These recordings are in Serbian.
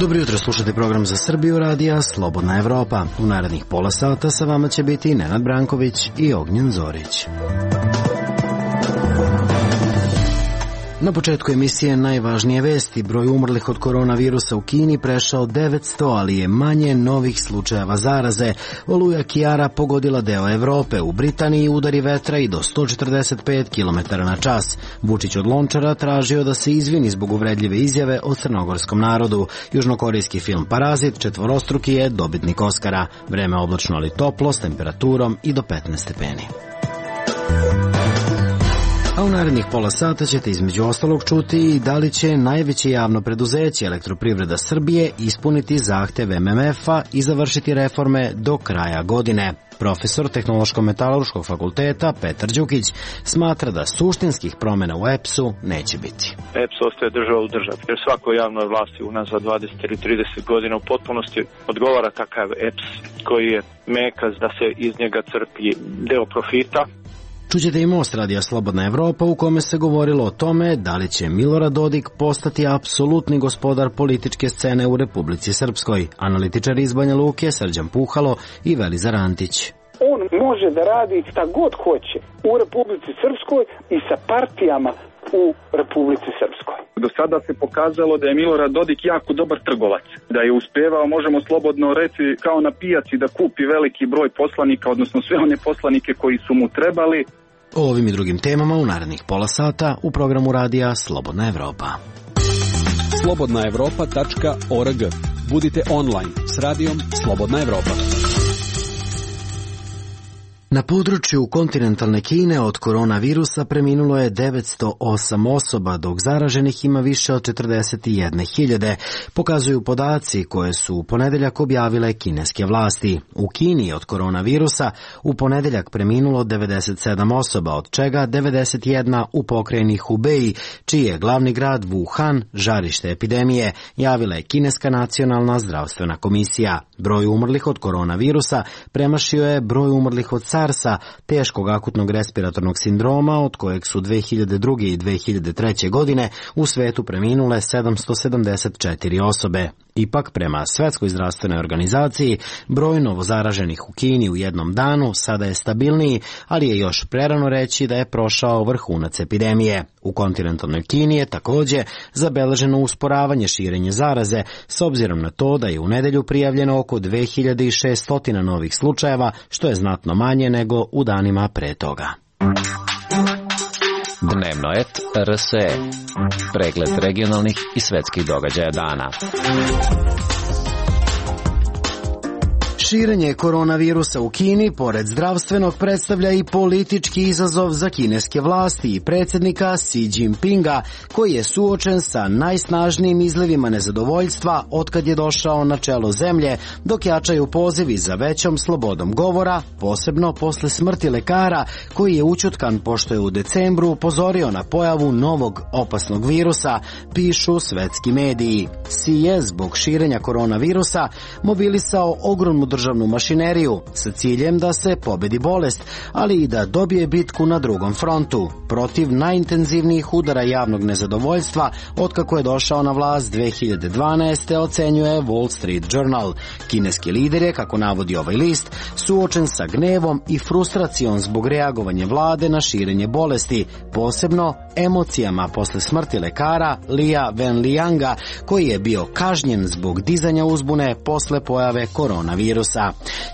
Dobro jutro, slušate program za Srbiju radija Slobodna Evropa. U narednih pola sata sa vama će biti Nenad Branković i Ognjen Zorić. Na početku emisije najvažnije vesti. Broj umrlih od koronavirusa u Kini prešao 900, ali je manje novih slučajeva zaraze. Oluja Kiara pogodila deo Evrope. U Britaniji udari vetra i do 145 km na čas. Vučić od Lončara tražio da se izvini zbog uvredljive izjave o crnogorskom narodu. Južnokorejski film Parazit četvorostruki je dobitnik Oskara. Vreme oblačno ali toplo s temperaturom i do 15 stepeni. A u narednih pola sata ćete između ostalog čuti i da li će najveće javno preduzeće Elektroprivreda Srbije ispuniti zahtev MMF-a i završiti reforme do kraja godine. Profesor Tehnološko-metalurškog fakulteta Petar Đukić smatra da suštinskih promjena u EPS-u neće biti. EPS ostaje država u državi, jer svakoj javnoj vlasti unazad 20 ili 30 godina u potpunosti odgovara takav EPS koji je mekaz da se iz njega crpi deo profita. Čućete i Most radija Slobodna Evropa u kome se govorilo o tome da li će Milorad Dodik postati apsolutni gospodar političke scene u Republici Srpskoj. Analitičari iz Banja Luke Srđan Puhalo i Velizar Antić. On može da radi šta god hoće u Republici Srpskoj i sa partijama u Republici Srpskoj. Do sada se pokazalo da je Milorad Dodik jako dobar trgovac, da je uspevao, možemo slobodno reći, kao na pijaci da kupi veliki broj poslanika, odnosno sve one poslanike koji su mu trebali. O ovim i drugim temama u narednih pola sata u programu radija Slobodna Evropa. slobodnaevropa.org. Budite online s radijom Slobodna Evropa. Na području kontinentalne Kine od koronavirusa preminulo je 908 osoba, dok zaraženih ima više od 41.000, pokazuju podaci koje su u ponedeljak objavile kineske vlasti. U Kini od koronavirusa u ponedeljak preminulo 97 osoba, od čega 91 u pokrajini Hubei, čiji je glavni grad Wuhan žarište epidemije, javila je Kineska nacionalna zdravstvena komisija. Broj umrlih od koronavirusa premašio je broj umrlih od SARS-a, teškog akutnog respiratornog sindroma, od kojeg su 2002. i 2003. godine u svetu preminule 774 osobe. Ipak, prema Svetskoj zdravstvenoj organizaciji, broj novozaraženih u Kini u jednom danu sada je stabilniji, ali je još prerano reći da je prošao vrhunac epidemije. U kontinentalnoj Kini je također zabeleženo usporavanje širenja zaraze, s obzirom na to da je u nedelju prijavljeno oko 2600 novih slučajeva, što je znatno manje nego u danima pre toga. Dnevno et RSE. Pregled regionalnih i svetskih događaja dana. Širenje koronavirusa u Kini, pored zdravstvenog, predstavlja i politički izazov za kineske vlasti i predsjednika Xi Jinpinga, koji je suočen sa najsnažnijim izlivima nezadovoljstva otkad je došao na čelo zemlje, dok jačaju pozivi za većom slobodom govora, posebno posle smrti lekara, koji je učutkan pošto je u decembru upozorio na pojavu novog opasnog virusa, pišu svetski mediji. Xi je zbog širenja koronavirusa mobilisao ogromnu državnu mašineriju sa ciljem da se pobedi bolest, ali i da dobije bitku na drugom frontu, protiv najintenzivnijih udara javnog nezadovoljstva otkako je došao na vlast 2012. ocenjuje Wall Street Journal. Kineski lider je, kako navodi ovaj list, suočen sa gnevom i frustracijom zbog reagovanja vlade na širenje bolesti, posebno emocijama posle smrti lekara Lia Wenlianga, koji je bio kažnjen zbog dizanja uzbune posle pojave koronavirusa.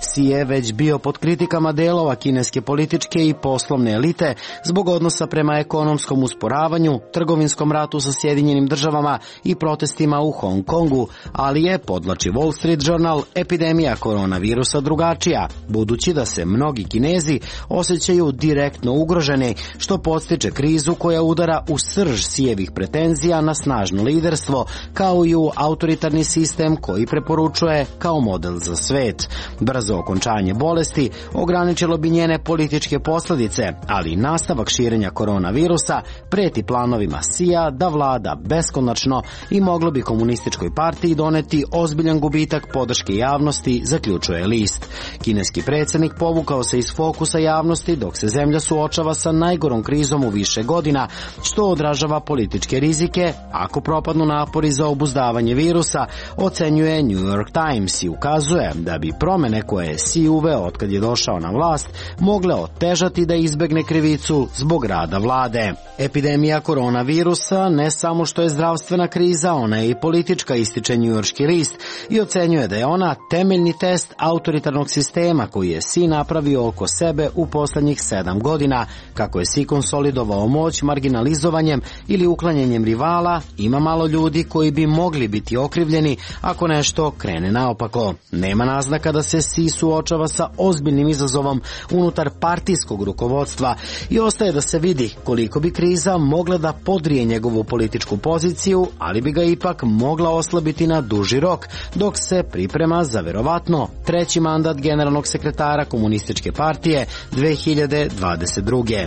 Xi je već bio pod kritikama delova kineske političke i poslovne elite zbog odnosa prema ekonomskom usporavanju, trgovinskom ratu sa Sjedinjenim državama i protestima u Hong Kongu, ali je, podvlači Wall Street Journal, epidemija koronavirusa drugačija, budući da se mnogi Kinezi osjećaju direktno ugroženi, što podstiče krizu koja udara u srž Xijevih pretenzija na snažno liderstvo, kao i u autoritarni sistem koji preporučuje kao model za svet. Brzo okončanje bolesti ograničilo bi njene političke posljedice, ali i nastavak širenja koronavirusa preti planovima Xija da vlada beskonačno i moglo bi komunističkoj partiji doneti ozbiljan gubitak podrške javnosti, zaključuje list. Kineski predsjednik povukao se iz fokusa javnosti dok se zemlja suočava sa najgorom krizom u više godina, što odražava političke rizike ako propadnu napori za obuzdavanje virusa, ocenjuje New York Times i ukazuje da bi promene koje je Xi uveo otkad je došao na vlast mogle otežati da izbegne krivicu zbog rada vlade. Epidemija koronavirusa ne samo što je zdravstvena kriza, ona je i politička, ističe njujorški list i ocenjuje da je ona temeljni test autoritarnog sistema koji je Xi napravio oko sebe u poslednjih 7 godina. Kako je Xi konsolidovao moć marginalizovanjem ili uklanjanjem rivala, ima malo ljudi koji bi mogli biti okrivljeni ako nešto krene naopako. Nema naznaka da se Xi suočava sa ozbiljnim izazovom unutar partijskog rukovodstva i ostaje da se vidi koliko bi kriza mogla da podrije njegovu političku poziciju, ali bi ga ipak mogla oslabiti na duži rok, dok se priprema za verovatno treći mandat generalnog sekretara Komunističke partije 2022.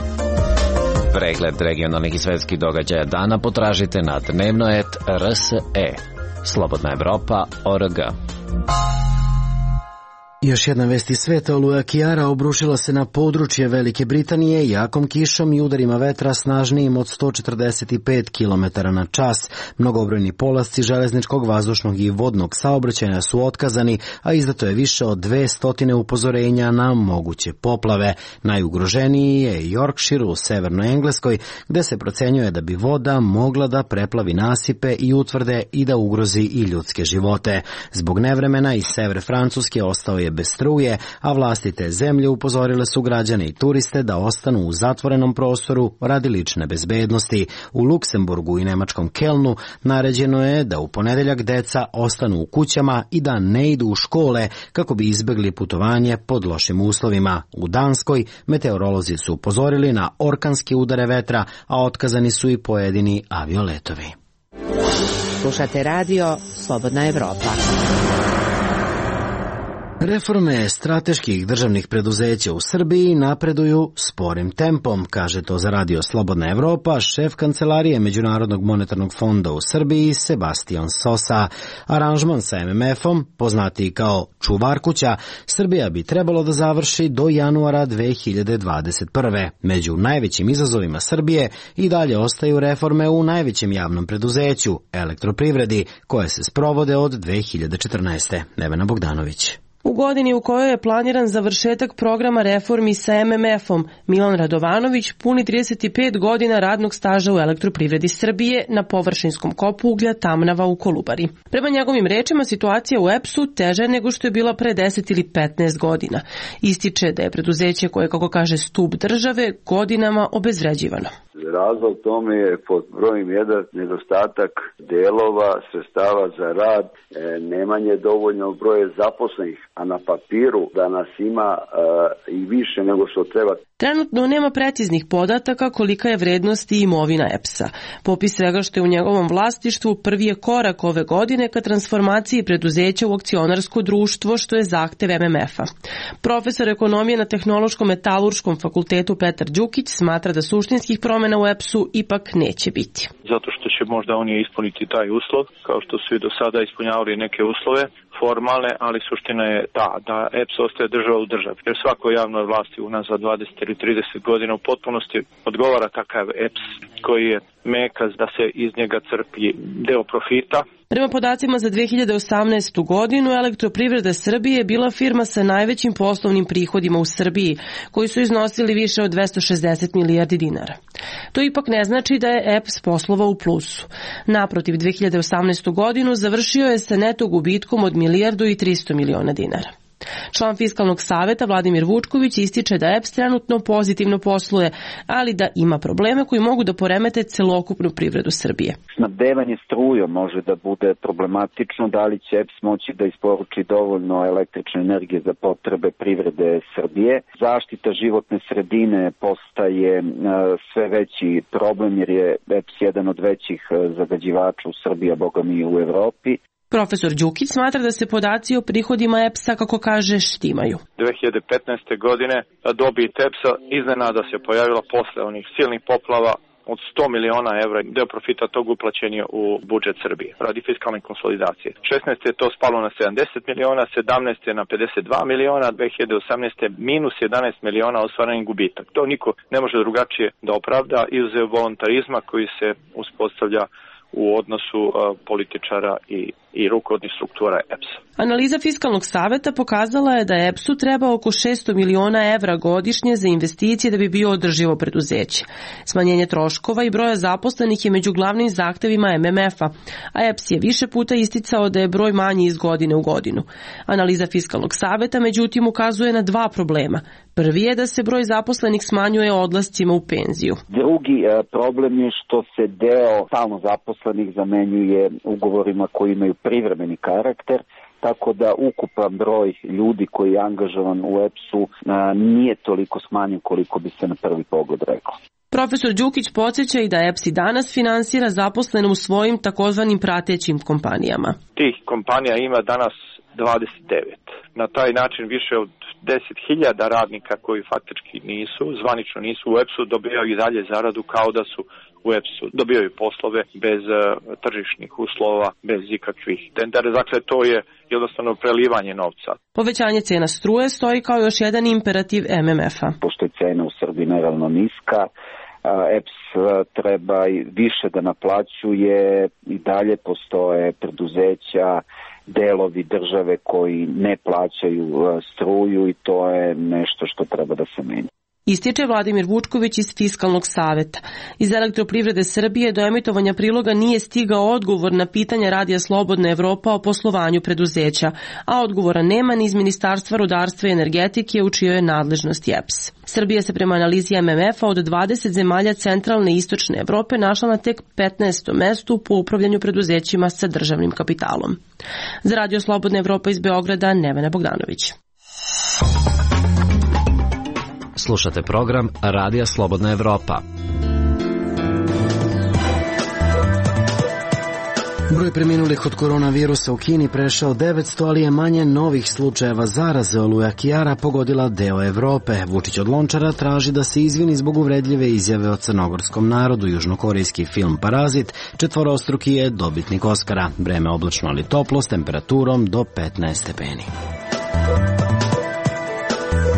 Pregled regionalnih i svetskih događaja dana potražite na dnevno.rs.e. Slobodna Evropa.org. Još jedna vest iz sveta, oluja Kiara obrušila se na područje Velike Britanije jakom kišom i udarima vetra snažnijim od 145 km na čas. Mnogobrojni polasci železničkog, vazdušnog i vodnog saobraćaja su otkazani, a izdato je više od 200 upozorenja na moguće poplave. Najugroženiji je Yorkshire u severnoj Engleskoj, gde se procenjuje da bi voda mogla da preplavi nasipe i utvrde i da ugrozi i ljudske živote. Zbog nevremena iz severe Francuske ostao je bez struje, a vlasti te zemlje upozorile su građane i turiste da ostanu u zatvorenom prostoru radi lične bezbednosti. U Luksemburgu i nemačkom Kelnu naređeno je da u ponedeljak deca ostanu u kućama i da ne idu u škole kako bi izbegli putovanje pod lošim uslovima. U Danskoj meteorolozi su upozorili na orkanske udare vetra, a otkazani su i pojedini avioletovi. Slušate radio Slobodna Evropa. Reforme strateških državnih preduzeća u Srbiji napreduju sporim tempom, kaže to za radio Slobodna Evropa šef kancelarije Međunarodnog monetarnog fonda u Srbiji Sebastian Sosa. Aranžman sa MMF-om, poznatiji kao čuvar kuća, Srbija bi trebalo da završi do januara 2021. Među najvećim izazovima Srbije i dalje ostaju reforme u najvećem javnom preduzeću, Elektroprivredi, koje se sprovode od 2014. Nevena Bogdanović. U godini u kojoj je planiran završetak programa reformi sa MMF-om, Milan Radovanović puni 35 godina radnog staža u Elektroprivredi Srbije na površinskom kopu uglja Tamnava u Kolubari. Prema njegovim rečima, situacija u EPS-u teža je nego što je bila pre 10 ili 15 godina. Ističe da je preduzeće koje, kako kaže, stub države, godinama obezvređivano. Razlog tome je pod brojem 1 nedostatak delova, sredstava za rad, nemanje dovoljnog broja zaposlenih, a na papiru da nas ima i više nego što treba. Trenutno nema preciznih podataka kolika je vrednost i imovina EPS-a. Popis svega što je u njegovom vlasništvu prvi je korak ove godine ka transformaciji preduzeća u akcionarsko društvo, što je zahtev MMF-a. Profesor ekonomije na Tehnološko-metalurškom fakultetu Petar Đukić smatra da suštinskih promjena u EPS-u ipak neće biti. Zato što će možda oni ispuniti taj uslov, kao što su i do sada ispunjavali neke uslove formalne, ali suština je da EPS ostaje država u državi. Jer svakoj javnoj vlasti unazad 20 ili 30 godina u potpunosti odgovara takav EPS koji je mekaz da se iz njega crpi deo profita. Prema podacima za 2018. godinu, Elektroprivreda Srbije je bila firma sa najvećim poslovnim prihodima u Srbiji, koji su iznosili više od 260 milijardi dinara. To ipak ne znači da je EPS poslovao u plusu. Naprotiv, 2018. godinu završio je sa neto gubitkom od 1,3 milijarde dinara. Član Fiskalnog saveta Vladimir Vučković ističe da EPS trenutno pozitivno posluje, ali da ima probleme koji mogu da poremete celokupnu privredu Srbije. Snabdevanje strujom može da bude problematično, da li će EPS moći da isporuči dovoljno električne energije za potrebe privrede Srbije. Zaštita životne sredine postaje sve veći problem jer je EPS jedan od većih zagađivača u Srbiji, a boga mi u Evropi. Profesor Đukić smatra da se podaci o prihodima EPS-a, kako kaže, štimaju. 2015. godine dobit EPS-a iznenada se pojavila posle onih silnih poplava od 100 miliona evra, deo profita tog uplaćen je u budžet Srbije radi fiskalne konsolidacije. 16. je to spalo na 70 miliona, 17. je na 52 miliona, 2018. minus 11 miliona ostvaren gubitak. To niko ne može drugačije da opravda izuzev voluntarizma koji se uspostavlja u odnosu političara i rukovodnih struktura EPS-a. Analiza Fiskalnog saveta pokazala je da EPS-u treba oko 600 miliona evra godišnje za investicije da bi bio održivo preduzeće. Smanjenje troškova i broja zaposlenih je među glavnim zahtevima MMF-a, a EPS je više puta isticao da je broj manji iz godine u godinu. Analiza Fiskalnog saveta međutim ukazuje na dva problema. Prvi je da se broj zaposlenih smanjuje odlascima u penziju. Drugi problem je što se deo stalno zaposlenih zamenjuje ugovorima koji imaju privremeni karakter, tako da ukupan broj ljudi koji je angažovan u EPS-u nije toliko smanjen koliko bi se na prvi pogled reklo. Profesor Đukić podsjeća i da EPS i danas finansira zaposlene u svojim takozvanim pratećim kompanijama. Tih kompanija ima danas 29. Na taj način više od 10.000 radnika koji faktički zvanično nisu u EPS-u, dobijaju i dalje zaradu kao da su u EPS-u. Dobijaju poslove bez tržišnih uslova, bez ikakvih tendera. Dakle, to je jednostavno prelivanje novca. Povećanje cena struje stoji kao još jedan imperativ MMF-a. Pošto je cena u Srbiji nerealno niska, EPS treba više da naplaćuje, i dalje postoje preduzeća, delovi države koji ne plaćaju struju i to je nešto što treba da se menja. Ističe Vladimir Vučković iz Fiskalnog saveta. Iz Elektroprivrede Srbije do emitovanja priloga nije stigao odgovor na pitanje Radija Slobodna Evropa o poslovanju preduzeća, a odgovora nema ni iz Ministarstva rudarstva i energetike u čijoj je nadležnosti EPS. Srbija se prema analizi MMF-a od 20 zemalja centralne i istočne Evrope našla na tek 15. mestu po upravljanju preduzećima sa državnim kapitalom. Za Radio Slobodna Evropa iz Beograda, Nevena Bogdanović. Slušate program Radija Slobodna Evropa. Broj preminulih od koronavirusa u Kini prešao 900, ali je manje novih slučajeva zaraze. Oluja Kijara pogodila deo Evrope. Vučić od Lončara traži da se izvini zbog uvredljive izjave o crnogorskom narodu. Južnokorejski film Parazit četvorostruki je dobitnik Oskara. Vreme oblačno ali toplo s temperaturom do 15 stepeni.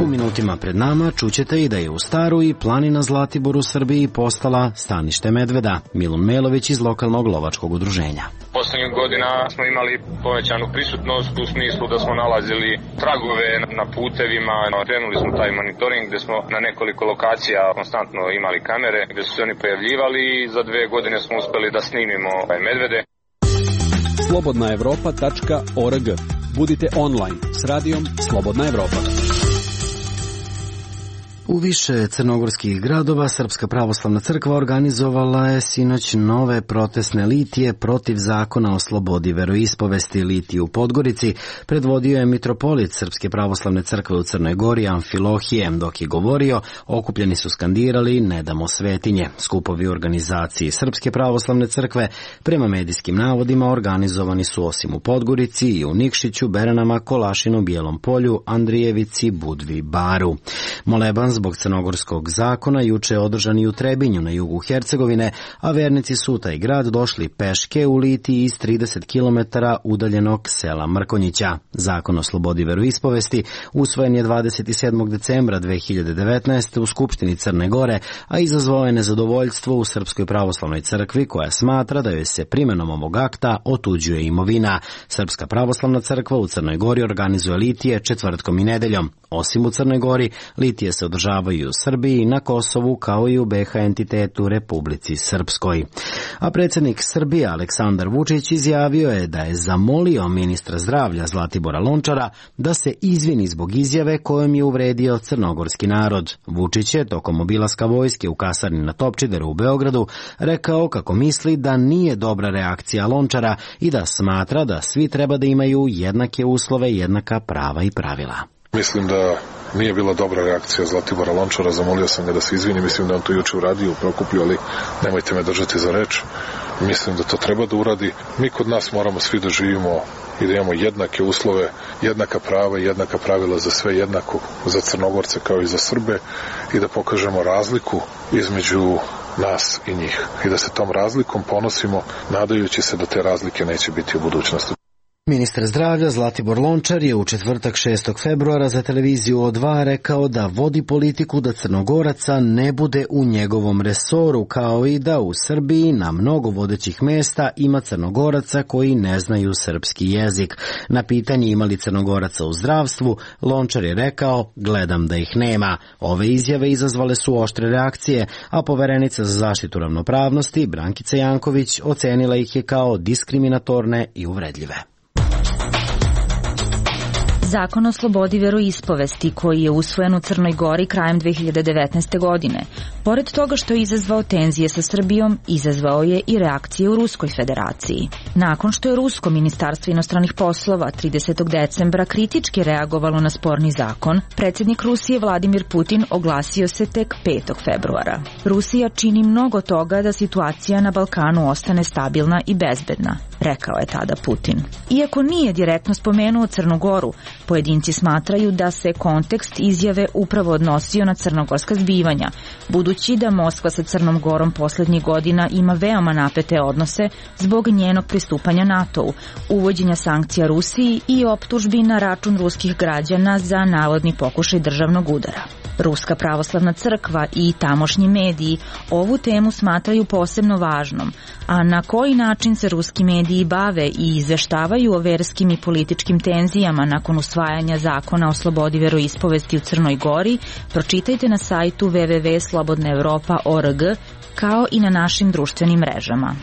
U minutima pred nama čućete i da je u Staru i planina Zlatibor u Srbiji postala stanište medveda. Milun Melović iz lokalnog lovačkog udruženja. Poslednjih godina smo imali povećanu prisutnost u smislu da smo nalazili tragove na putevima. Krenuli smo taj monitoring gde smo na nekoliko lokacija konstantno imali kamere gde su se oni pojavljivali i za 2 godine smo uspeli da snimimo medvede. slobodnaevropa.org. Budite online s radijom Slobodna Evropa. U više crnogorskih gradova Srpska pravoslavna crkva organizovala je sinoć nove protestne litije protiv zakona o slobodi veroispovesti. Litiju u Podgorici predvodio je mitropolit Srpske pravoslavne crkve u Crnoj Gori Amfilohije. Dok je govorio, okupljeni su skandirali "Ne damo svetinje". Skupovi u organizaciji Srpske pravoslavne crkve prema medijskim navodima organizovani su osim u Podgorici i u Nikšiću, Beranama, Kolašinu, Bijelom Polju, Andrijevici, Budvi, Baru. Moleban zbog crnogorskog zakona juče je održan i u Trebinju na jugu Hercegovine, a vernici su u taj grad došli peške u litiji iz 30 km udaljenog sela Mrkonjića. Zakon o slobodi veroispovesti usvojen je 27. decembra 2019. u Skupštini Crne Gore, a izazvao je nezadovoljstvo u Srpskoj pravoslavnoj crkvi koja smatra da joj se primenom ovog akta otuđuje imovina. Srpska pravoslavna crkva u Crnoj Gori organizuje litije četvrtkom i nedeljom. Osim u Crnoj Gori, litije se održavaju u Srbiji, na Kosovu, kao i u BiH entitetu Republici Srpskoj. A predsjednik Srbije Aleksandar Vučić izjavio je da je zamolio ministra zdravlja Zlatibora Lončara da se izvini zbog izjave kojom je uvredio crnogorski narod. Vučić je tokom obilaska vojske u kasarni na Topčideru u Beogradu rekao kako misli da nije dobra reakcija Lončara i da smatra da svi treba da imaju jednake uslove, jednaka prava i pravila. Mislim da nije bila dobra reakcija Zlatibora Lončara, zamolio sam ga da se izvini, mislim da on to juče uradio u Prokuplju, ali nemojte me držati za reč. Mislim da to treba da uradi. Mi kod nas moramo svi da živimo i da imamo jednake uslove, jednaka prava i jednaka pravila za sve, jednako za Crnogorce kao i za Srbe, i da pokažemo razliku između nas i njih. I da se tom razlikom ponosimo, nadajući se da te razlike neće biti u budućnosti. Ministar zdravlja Zlatibor Lončar je u četvrtak 6. februara za televiziju O2 rekao da vodi politiku da Crnogoraca ne bude u njegovom resoru, kao i da u Srbiji na mnogo vodećih mesta ima Crnogoraca koji ne znaju srpski jezik. Na pitanje ima li Crnogoraca u zdravstvu, Lončar je rekao: gledam da ih nema. Ove izjave izazvale su oštre reakcije, a poverenica za zaštitu ravnopravnosti Brankica Janković ocenila ih je kao diskriminatorne i uvredljive. Zakon o slobodi veroispovesti koji je usvojen u Crnoj Gori krajem 2019. godine, pored toga što je izazvao tenzije sa Srbijom, izazvao je i reakcije u Ruskoj federaciji. Nakon što je Rusko ministarstvo inostranih poslova 30. decembra kritički reagovalo na sporni zakon, predsjednik Rusije Vladimir Putin oglasio se tek 5. februara. Rusija čini mnogo toga da situacija na Balkanu ostane stabilna i bezbedna, rekao je tada Putin. Iako nije direktno spomenuo Crnu Goru, pojedinci smatraju da se kontekst izjave upravo odnosio na crnogorska zbivanja, budući da Moskva sa Crnom Gorom posljednjih godina ima veoma napete odnose zbog njenog pristupanja NATO-u, uvođenja sankcija Rusiji i optužbi na račun ruskih građana za navodni pokušaj državnog udara. Ruska pravoslavna crkva i tamošnji mediji ovu temu smatraju posebno važnom, a na koji način se ruski mediji bave i izveštavaju o verskim i političkim tenzijama nakon usvajanja zakona o slobodi veroispovesti u Crnoj Gori, pročitajte na sajtu www.slobodnaevropa.org, kao i na našim društvenim mrežama.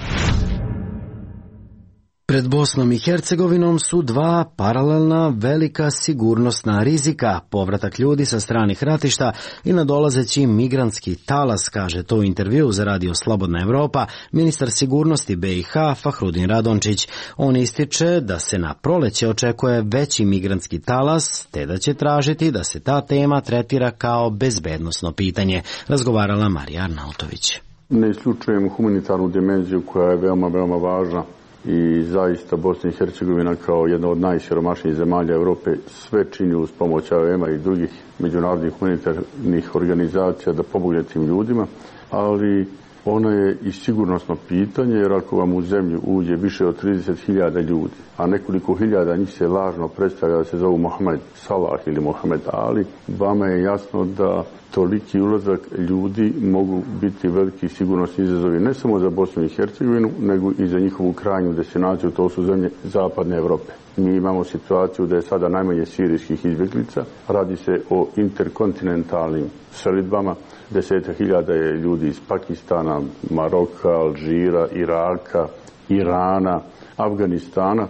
Pred Bosnom i Hercegovinom su dva paralelna velika sigurnosna rizika, povratak ljudi sa stranih ratišta i nadolazeći migrantski talas, kaže to u intervju za radio Slobodna Evropa ministar sigurnosti BiH Fahrudin Radončić. On ističe da se na proleće očekuje veći migrantski talas, te da će tražiti da se ta tema tretira kao bezbednosno pitanje, razgovarala Marija Arnautović. Ne isključujemo humanitarnu dimenziju koja je veoma, veoma važna. I zaista Bosna i Hercegovina kao jedna od najsiromašnijih zemalja Europe sve čini uz pomoć AVM-a i drugih međunarodnih humanitarnih organizacija da pomogne tim ljudima, ali ono je i sigurnosno pitanje, jer ako vam u zemlju uđe više od 30.000 ljudi, a nekoliko hiljada njih se lažno predstavlja da se zovu Mohamed Salah ili Mohamed Ali, vama je jasno da toliki ulazak ljudi mogu biti veliki sigurnosni izazovi ne samo za Bosnu i Hercegovinu, nego i za njihovu krajnju destinaciju, to su zemlje Zapadne Evrope. Mi imamo situaciju da je sada najmanje sirijskih izbjeglica, radi se o interkontinentalnim selidbama, 10.000 je ljudi iz Pakistana, Maroka, Alžira, Iraka, Irana, Afganistana.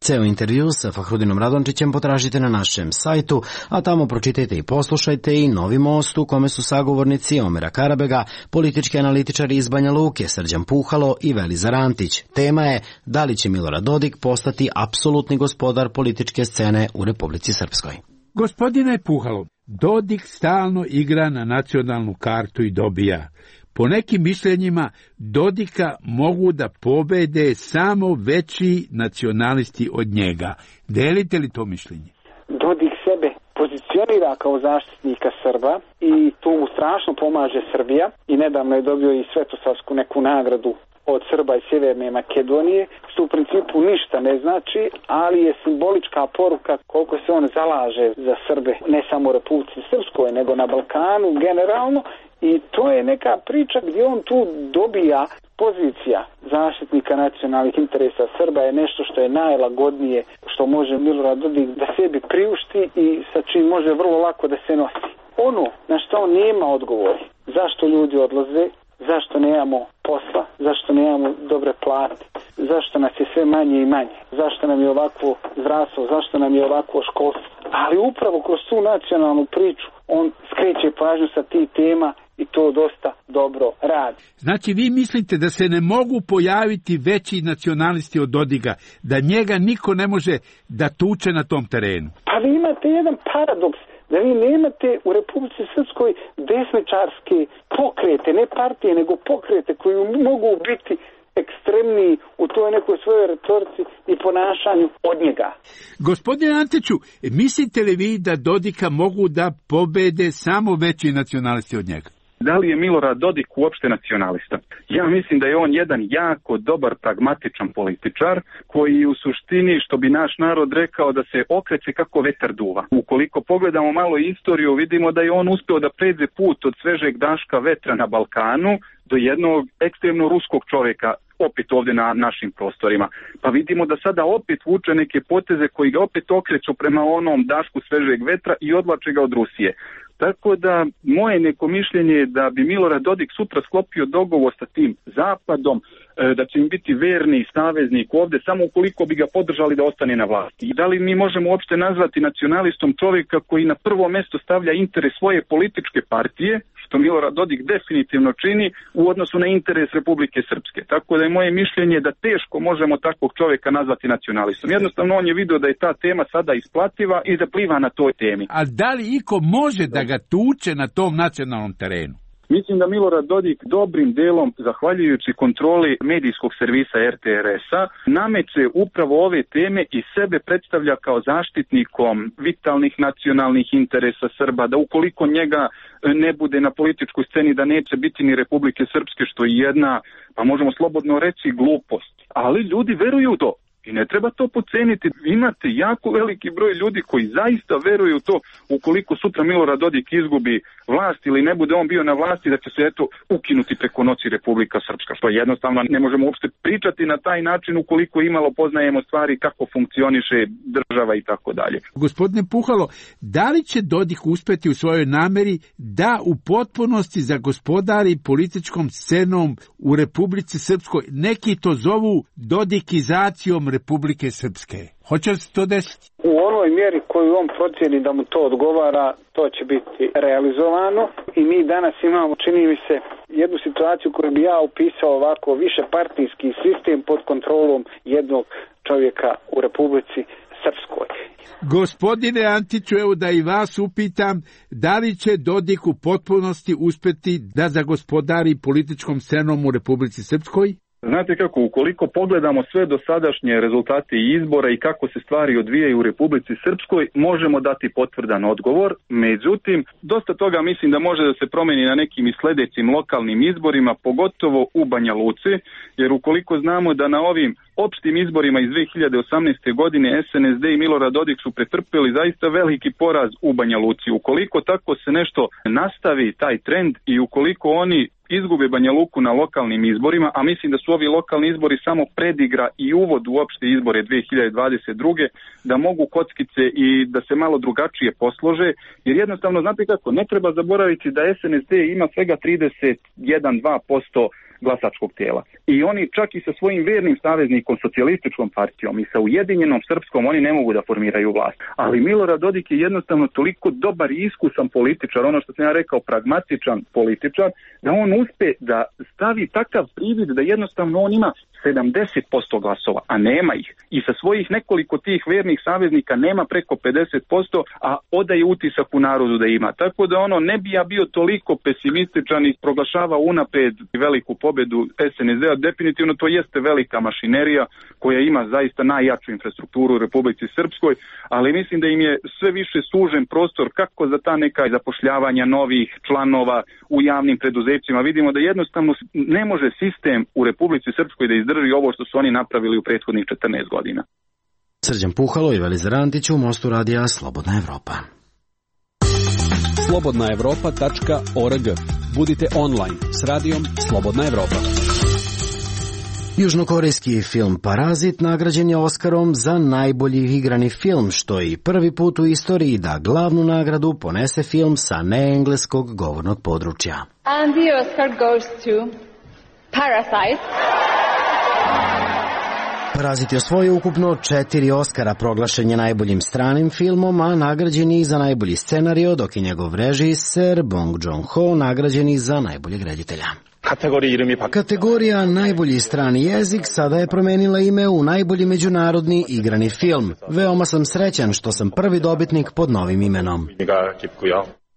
Ceo intervju sa Fahrudinom Radončićem potražite na našem sajtu, a tamo pročitajte i poslušajte i Novi most u kome su sagovornici Omera Karabega, politički analitičari iz Banja Luke Srđan Puhalo i Velizar Antić. Tema je da li će Milorad Dodik postati apsolutni gospodar političke scene u Republici Srpskoj. Gospodine Puhalo, Dodik stalno igra na nacionalnu kartu i dobija. Po nekim mišljenjima Dodika mogu da pobede samo veći nacionalisti od njega. Delite li to mišljenje? Dodik sebe pozicionira kao zaštitnika Srba i tu mu strašno pomaže Srbija i nedavno je dobio i svetosavsku neku nagradu od Srba iz Sjeverne Makedonije, što u principu ništa ne znači, ali je simbolička poruka koliko se on zalaže za Srbe, ne samo u Republici Srpskoj, nego na Balkanu generalno. I to je neka priča gdje on tu dobija pozicija zaštitnika nacionalnih interesa Srba je nešto što je najlagodnije što može Milorad Dodik da sebi priušti i sa čim može vrlo lako da se nosi. Ono na što on nema odgovori, zašto ljudi odlaze, zašto nemamo posla, zašto nemamo dobre plate, zašto nas je sve manje i manje, zašto nam je ovakvo zdravstvo, zašto nam je ovakvo školstvo. Ali upravo kroz tu nacionalnu priču on skreće pažnju sa tih tema i to dosta dobro radi. Znači vi mislite da se ne mogu pojaviti veći nacionalisti od Dodiga, da njega niko ne može da tuče na tom terenu? Pa vi imate jedan paradoks, da vi nemate u Republici Srpskoj desničarske pokrete, ne partije, nego pokrete koji mogu biti ekstremniji u toj nekoj svojoj retorici i ponašanju od njega. Gospodine Antiću, mislite li vi da Dodika mogu da pobede samo veći nacionalisti od njega? Da li je Milorad Dodik uopšte nacionalista? Ja mislim da je on jedan jako dobar pragmatičan političar koji u suštini, što bi naš narod rekao, da se okreće kako vetar duva. Ukoliko pogledamo malo istoriju, vidimo da je on uspeo da pređe put od svežeg daška vetra na Balkanu do jednog ekstremno ruskog čovjeka opet ovdje na našim prostorima. Pa vidimo da sada opet vuče neke poteze koji ga opet okreću prema onom dašku svežeg vetra i odvlače ga od Rusije. Tako da moje neko mišljenje je da bi Milorad Dodik sutra sklopio dogovor sa tim Zapadom, da će im biti verni saveznik ovdje samo ukoliko bi ga podržali da ostane na vlasti. I da li mi možemo uopšte nazvati nacionalistom čovjeka koji na prvo mjesto stavlja interes svoje političke partije, što Milorad Dodik definitivno čini, u odnosu na interes Republike Srpske. Tako da je moje mišljenje da teško možemo takvog čovjeka nazvati nacionalistom. Jednostavno on je vidio da je ta tema sada isplativa i da pliva na toj temi. A da li iko može da ga tuče na tom nacionalnom terenu? Mislim da Milorad Dodik dobrim delom, zahvaljujući kontroli medijskog servisa RTRS-a, nameće upravo ove teme i sebe predstavlja kao zaštitnikom vitalnih nacionalnih interesa Srba, da ukoliko njega ne bude na političkoj sceni, da neće biti ni Republike Srpske, što je jedna, pa možemo slobodno reći, glupost. Ali ljudi veruju u to. I ne treba to poceniti. Imate jako veliki broj ljudi koji zaista veruju u to, ukoliko sutra Milorad Dodik izgubi vlast ili ne bude on bio na vlasti, da će se ukinuti preko noći Republika Srpska. Što jednostavno ne možemo uopšte pričati na taj način ukoliko imalo poznajemo stvari kako funkcioniše država i tako dalje. Gospodine Puhalo, da li će Dodik uspeti u svojoj nameri da u potpunosti zagospodari političkom scenom u Republici Srpskoj? Neki to zovu dodikizacijom Republike Srpske. Hoće li se to desiti? U onoj mjeri koju on procjeni da mu to odgovara, to će biti realizovano i mi danas imamo, čini mi se, jednu situaciju koju bi ja upisao ovako, više partijski sistem pod kontrolom jednog čovjeka u Republici Srpskoj. Gospodine Antiću, evo da i vas upitam, da li će Dodik u potpunosti uspeti da zagospodari političkom scenom u Republici Srpskoj? Znate kako, ukoliko pogledamo sve dosadašnje rezultate izbora i kako se stvari odvijaju u Republici Srpskoj, možemo dati potvrdan odgovor. Međutim, dosta toga mislim da može da se promeni na nekim i sljedećim lokalnim izborima, pogotovo u Banja Luci, jer ukoliko znamo da na ovim opštim izborima iz 2018. godine SNSD i Milorad Dodik su pretrpeli zaista veliki poraz u Banja Luci. Ukoliko tako se nešto nastavi, taj trend, i ukoliko oni izgube Banja Luku na lokalnim izborima, a mislim da su ovi lokalni izbori samo predigra i uvod u opšte izbore 2022. da mogu kockice i da se malo drugačije poslože, jer jednostavno, znate kako, ne treba zaboraviti da SNSD ima svega 31-2% glasačkog tijela. I oni čak i sa svojim vernim saveznikom, socijalističkom partijom i sa Ujedinjenom Srpskom, oni ne mogu da formiraju vlast. Ali Milorad Dodik je jednostavno toliko dobar i iskusan političar, ono što sam ja rekao, pragmatičan političar, da on uspe da stavi takav privid da jednostavno on ima 70% glasova, a nema ih. I sa svojih nekoliko tih vernih saveznika nema preko 50%, a odaje utisak u narodu da ima. Tako da ono, ne bi ja bio toliko pesimističan i proglašava unapred veliku pobedu SNSD-a. Definitivno to jeste velika mašinerija koja ima zaista najjaču infrastrukturu u Republici Srpskoj, ali mislim da im je sve više sužen prostor kako za ta neka zapošljavanja novih članova u javnim preduzećima. Vidimo da jednostavno ne može sistem u Republici Srpskoj da izdrži ovo što su oni napravili u prethodnih 14 godina. Srđan Puhalo i Velizar Antić u Mostu radija Slobodna Evropa. slobodnaevropa.org. Budite online s radijom Slobodna Evropa. Južnokorejski film Parazit nagrađen je Oskarom za najbolji igrani film, što je i prvi put u istoriji da glavnu nagradu ponese film sa neengleskog govornog područja. And the Oscar goes to Parasite. Parazit je osvojio ukupno 4 Oskara, proglašen je najboljim stranim filmom, a nagrađen je i za najbolji scenario, dok je njegov režiser Bong Joon-ho nagrađen i za najboljeg reditelja. Kategorija najbolji strani jezik sada je promenila ime u najbolji međunarodni igrani film. Veoma sam srećan što sam prvi dobitnik pod novim imenom.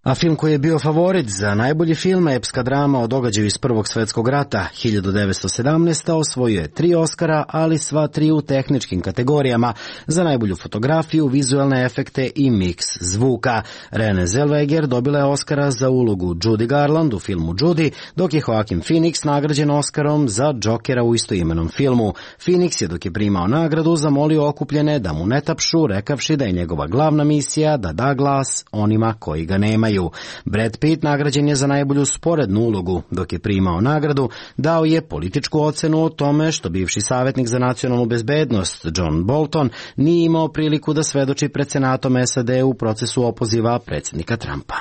A film koji je bio favorit za najbolji film, epska drama o događaju iz Prvog svetskog rata 1917. osvojio je 3 Oskara, ali sva 3 u tehničkim kategorijama za najbolju fotografiju, vizualne efekte i miks zvuka. Renée Zellweger dobila je Oskara za ulogu Judy Garland u filmu Judy, dok je Joaquin Phoenix nagrađen Oskarom za Jokera u istoimenom filmu. Phoenix je, dok je primao nagradu, zamolio okupljene da mu ne tapšu, rekavši da je njegova glavna misija da da glas onima koji ga nemaju. Brad Pitt nagrađen je za najbolju sporednu ulogu. Dok je primao nagradu, dao je političku ocenu o tome što bivši savjetnik za nacionalnu bezbednost John Bolton nije imao priliku da svedoči pred Senatom SAD u procesu opoziva predsjednika Trumpa.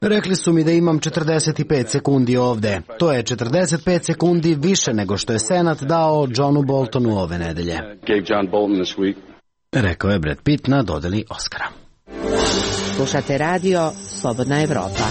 Rekli su mi da imam 45 sekundi ovde. To je 45 sekundi više nego što je Senat dao Johnu Boltonu ove nedelje. Rekao je Brad Pitt na dodeli Oskara. Slušate radio Slobodna Evropa.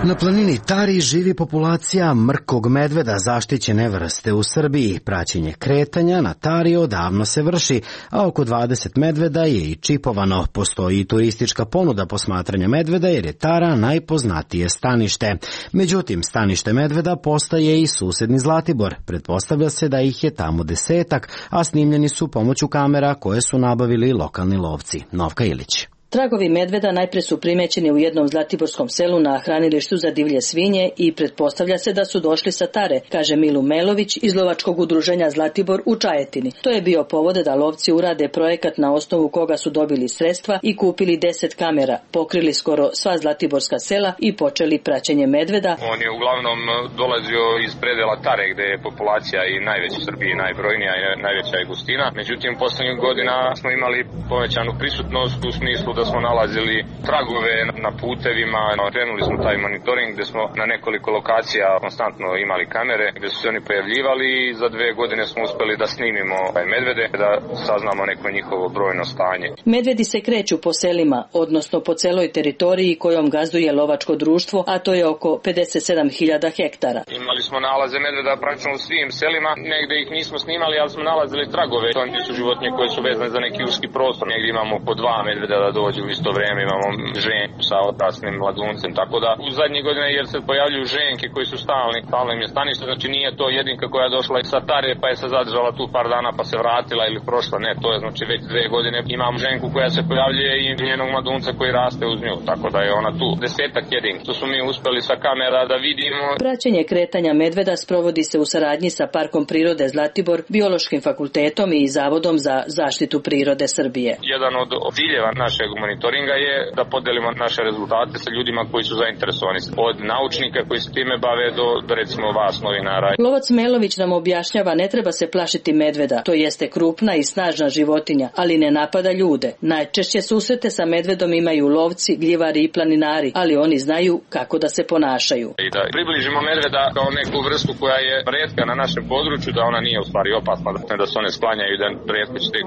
Na planini Tari živi populacija mrkog medveda, zaštićene vrste u Srbiji. Praćenje kretanja na Tari odavno se vrši, a oko 20 medveda je i čipovano. Postoji i turistička ponuda posmatranja medveda jer je Tara najpoznatije stanište. Međutim, stanište medveda postaje i susedni Zlatibor. Pretpostavlja se da ih je tamo 10-ak, a snimljeni su pomoću kamera koje su nabavili lokalni lovci. Novka Ilić. Tragovi medveda najpre su primećeni u jednom zlatiborskom selu na hranilištu za divlje svinje i pretpostavlja se da su došli sa Tare, kaže Milu Melović iz lovačkog udruženja Zlatibor u Čajetini. To je bio povod da lovci urade projekat na osnovu koga su dobili sredstva i kupili 10 kamera, pokrili skoro sva zlatiborska sela i počeli praćenje medveda. On je uglavnom dolazio iz predela Tare, gde je populacija i najveća u Srbiji, najbrojnija i najveća je gustina. Međutim, poslednjih godina smo imali povećanu prisutnost u smislu da smo nalazili tragove na putevima, krenuli smo taj monitoring gde smo na nekoliko lokacija konstantno imali kamere gde su se oni pojavljivali i za 2 godine smo uspeli da snimimo medvede, da saznamo neko njihovo brojno stanje. Medvedi se kreću po selima, odnosno po celoj teritoriji kojom gazduje lovačko društvo, a to je oko 57.000 hektara. Imali smo nalaze medveda praktično u svim selima, negde ih nismo snimali, ali smo nalazili tragove. To su životinje koje su vezane za neki uski prostor. Negde imamo po 2 medveda da dođu u isto vreme, imamo ženku sa odraslim mladuncem, tako da u zadnjih godina jer se pojavljuju ženke koji su stalno im je stanište, znači nije to jedinka koja je došla sa Tare pa je se zadržala tu par dana pa se vratila ili prošla, ne, to je znači već 2 godine imam ženku koja se pojavljuje i njenog mladunca koji raste uz nju, tako da je ona tu 10-ak jedinki. To su mi uspeli sa kamera da vidimo. Praćenje kretanja medveda sprovodi se u saradnji sa Parkom prirode Zlatibor, Biološkim fakultetom i Zavodom za zaštitu prirode Srbije. Jedan od ciljeva našeg monitoringa je da podelimo naše rezultate sa ljudima koji su zainteresovani, od naučnika koji se time bave do recimo vas novinara. Lovac Melović nam objašnjava ne treba se plašiti medveda, to jeste krupna i snažna životinja, ali ne napada ljude. Najčešće susrete sa medvedom imaju lovci, gljivari i planinari, ali oni znaju kako da se ponašaju. I da približimo medveda kao neku vrstu koja je retka na našem području, da ona nije u stvari opasna, da se one sklanjaju, da retko ćete,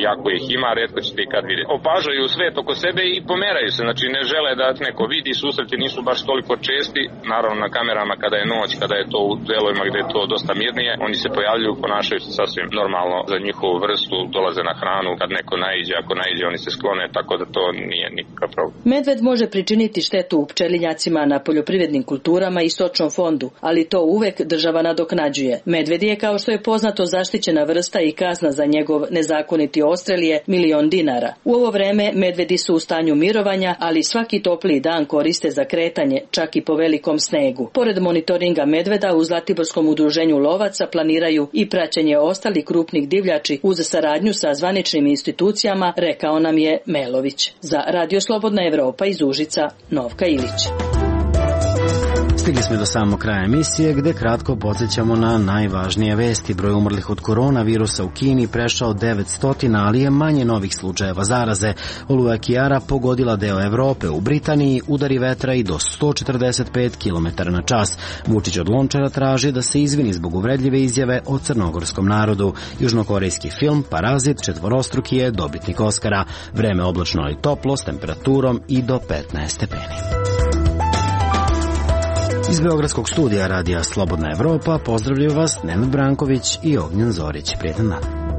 iako ih ima, retko ćete i kad vidjeti. Opažaju svet oko sebe i pomeraju se, znači ne žele da neko vidi, susreti nisu baš toliko česti, naravno na kamerama kada je noć, kada je to u delovima gde je to dosta mirnije, oni se pojavljuju, ponašaju se sasvim normalno za njihovu vrstu, dolaze na hranu, kad neko naiđe, ako naiđe oni se sklone, tako da to nije nikakav problem. Medved može pričiniti štetu u pčelinjacima, na poljoprivrednim kulturama i stočnom fondu, ali to uvek država nadoknađuje. Medved je, kao što je poznato, zaštićena vrsta i kazna za njegov nezakoniti odstrel je $1.000.000. U ovo vreme medvedi su u stanju mirovanja, ali svaki topliji dan koriste za kretanje, čak i po velikom snegu. Pored monitoringa medveda, u Zlatiborskom udruženju lovaca planiraju i praćenje ostalih krupnih divljači uz saradnju sa zvaničnim institucijama, rekao nam je Melović. Za Radio Slobodna Evropa iz Užica, Novka Ilić. Stigli smo do samog kraja emisije gde kratko podsjećamo na najvažnije vesti. Broj umrlih od koronavirusa u Kini prešao 900, ali je manje novih slučajeva zaraze. Oluja Kiara pogodila deo Evrope. U Britaniji udari vetra i do 145 km/h. Vučić od Lončara traži da se izvini zbog uvredljive izjave o crnogorskom narodu. Južnokorejski film Parazit četvorostruki je dobitnik Oskara. Vreme oblačno ali toplo s temperaturom i do 15 stepeni. Iz Beogradskog studija Radija Slobodna Evropa pozdravljaju vas Nenad Branković i Ognjen Zorić. Prijetan dan.